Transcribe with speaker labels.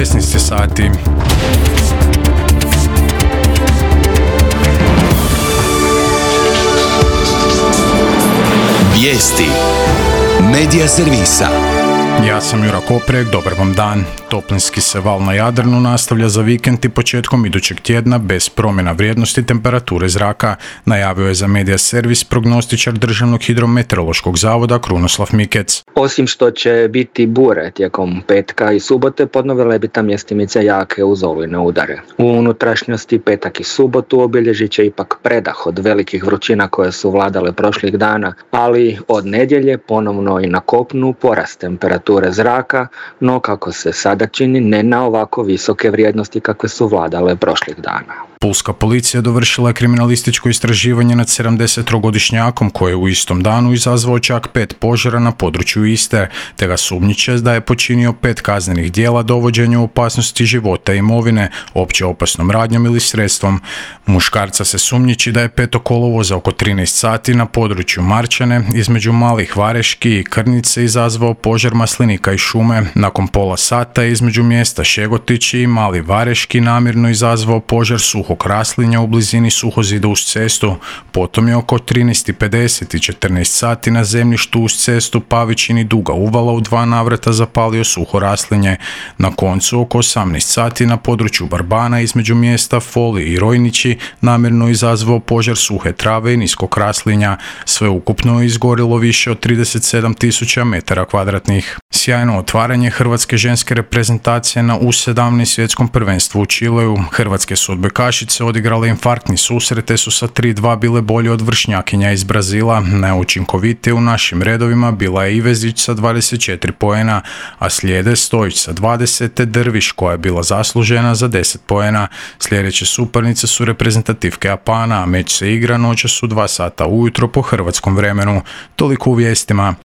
Speaker 1: 16 sati.
Speaker 2: Vijesti Medija servisa.
Speaker 1: Ja sam Jura Koprek, dobar vam dan. Toplinski se val na Jadranu nastavlja za vikend i početkom idućeg tjedna bez promjena vrijednosti temperature zraka, najavio je za Medija servis prognostičar Državnog hidrometeorološkog zavoda Krunoslav Mikec.
Speaker 3: Osim što će biti bure tijekom petka i subote, podnovile bi ta mjestimice jake uz olujne udare. U unutrašnjosti petak i subotu obilježit će ipak predah od velikih vrućina koje su vladale prošlih dana, ali od nedjelje ponovno i na kopnu porast temperature zraka, no kako se sada čini ne na ovako visoke vrijednosti kakve su vladale prošlih dana.
Speaker 1: Pulska policija dovršila je kriminalističko istraživanje nad 73-godišnjakom koji je u istom danu izazvao čak 5 požara na području iste, te ga sumnjiče da je počinio 5 kaznenih djela dovođenja u opasnosti života i imovine, opće opasnom radnjom ili sredstvom. Muškarca se sumnjiči da je 5. kolovoza oko 13 sati na području Marčane između Malih Vareški i Krnice izazvao požar maslinika i šume. Nakon pola sata između mjesta Šegotići i Mali Vareški namjerno izazvao požar suhog raslinja u blizini suhozida uz cestu. Potom je oko 13:50 i 14 sati na zemljištu uz cestu Pavićini Duga Uvala u 2 navrata zapalio suho raslinje. Na koncu oko 18 sati na području Barbana između mjesta Foli i Rojnići namjerno izazvao požar suhe trave i niskog raslinja. Sve ukupno je izgorilo više od 37.000 metara kvadratnih. Sjajno otvaranje hrvatske ženske reprezentacije na U17 svjetskom prvenstvu u Čileu. Hrvatske su odbojkašice odigrale infarktni susret te su sa 3:2 bile bolje od vršnjakinja iz Brazila. Najučinkovitije u našim redovima bila je Ivezić sa 24 poena, a slijede Stojić sa 20 te Drviš koja je bila zaslužena za 10 poena. Sljedeće suparnice su reprezentativke Japana, a meč se igra noćas u 2 sata ujutro po hrvatskom vremenu. Toliko u vijestima.